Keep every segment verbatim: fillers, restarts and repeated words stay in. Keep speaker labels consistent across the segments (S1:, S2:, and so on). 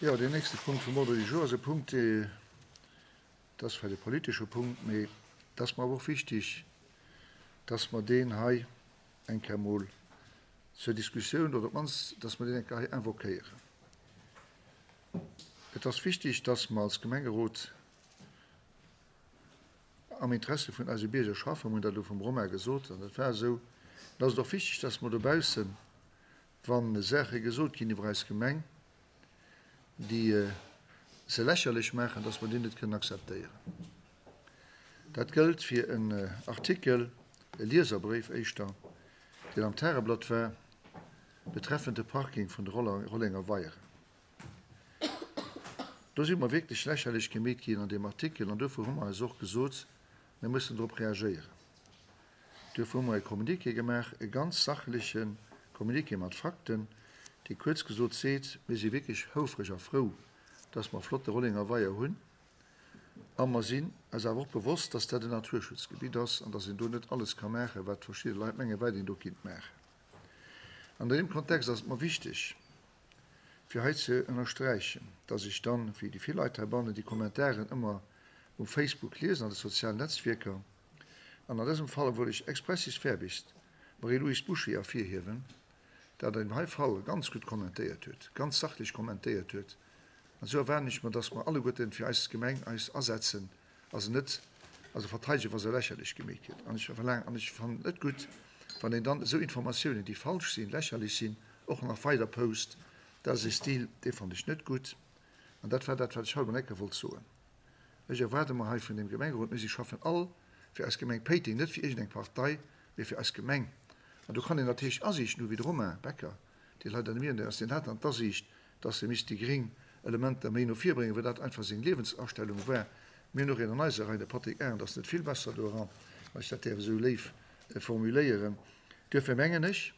S1: Jo, deen nächste Punkt vum Ordre du jour ass e Punkt, dat ass vläicht e politesche Punkt, mee dat ass mer awer och wichtig, dass mer deen hei eng Kéier emol zur Diskussioun, oder op d'mannst, dass mer deen eng Kéier hei invoquéieren. Et ass wichtig, dass mer als Gemengerot am Interesse vun eise Bierger schaffen. Mir hunn dat elo vum Romain gesot, an dat war esou. Et ass et och wichtig, dass mer dobaussen, wa Saache gesot ginn iwwer eis Gemeng, déi se lächerlech maachen, dass mer déi net kënnen akzeptéieren. Dat gëllt fir en Artikel, e Lieserbréif éischter, deen am Tageblatt war, betreffend de Parking vun de Rollenger Weieren. Do si mer wierklech lächerlech gemeet ginn an deem Artikel an dofir hu mer eis och gesot, mir mussen drop reagéieren. Duerfir hu mer e Communiqué gemaach, e ganz sachleche Communiqué mat Fakten, dee kuerz gesot seet, mir si wierklech houfreg a frou, dass mer flotte Rollenger Weier hunn a mer sinn eis awer och bewosst, dass dat en Naturschutzgebitt ass an dass een do net alles ka maachen, wat verschidde Leit mengen, wat een do kinnt maachen. An deem Kontext ass et mer wichteg, fir hei ze ënnersträichen, dass ech dann, wéi déi vill Leit heibannen, déi Kommentaren ëmmer um Facebook liesen, an de sozialen Netzwierker, an an dësem Fall wëll ech expressis verbis d'Marie-Louise Boucher ervirhiewen, dat an deem hei Fall ganz gutt kommentéiert huet, ganz sachlech kommentéiert huet. An esou erwaarden ech mer, dass mer alleguerten fir eis Gemeng eis asetzen a se net also verteidegen, wa se lächerlech gemeet gëtt. An ech verlaangen, an ech fannen et net gutt, wann een dann esou Informatiounen, déi falsch sinn, lächerlech sinn, och nach weider post. Dat ass e Stil, dee fannen ech net gutt. An dat war dat, wat ech haut mol enke wollt soen. Ech erwaarde mer hei vun deem Gemengerot, mir si schaffen all fir eis Gemeng Péiteng, net fir iergendeng Partei, mee fir eis Gemeng. An do kann een natierlech Asiichten hu wéi de Romain Becker, dee leider net méi ënner ass, deen hat dann d'Asiicht, dass e misst déi gréng Elementer méi no vir bréngen, well dat einfach seng Liewensastellung war. Mir hunn och een an eiser Rei, de Patrick Arendt ass net vill besser doran, wann ech dat däerf esou léif formuléieren. Duerfir mengen ech,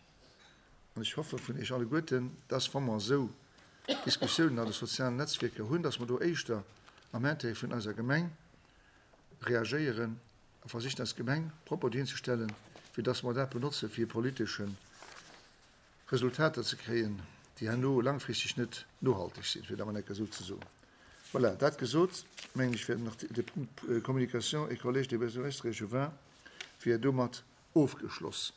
S1: an ech hoffe vun Iech alleguerten, dass, wa mer esou Diskussiounen an de sozialen Netzwierker hunn, dass mer do éischter am Intérêt vun eiser Gemeng reagéieren a versichen, eis Gemeng propper dohinzestellen, wéi dass mer dat benotze fir politesche Resultater ze kréien, déi herno langfristeg net nohalteg sinn, fir dat mol enker esou ze soen. Voilà, dat gesot, mengen ech, wär nach de Punkt Communication et Collège des bourgmestres et échevins wier domat ofgeschloss.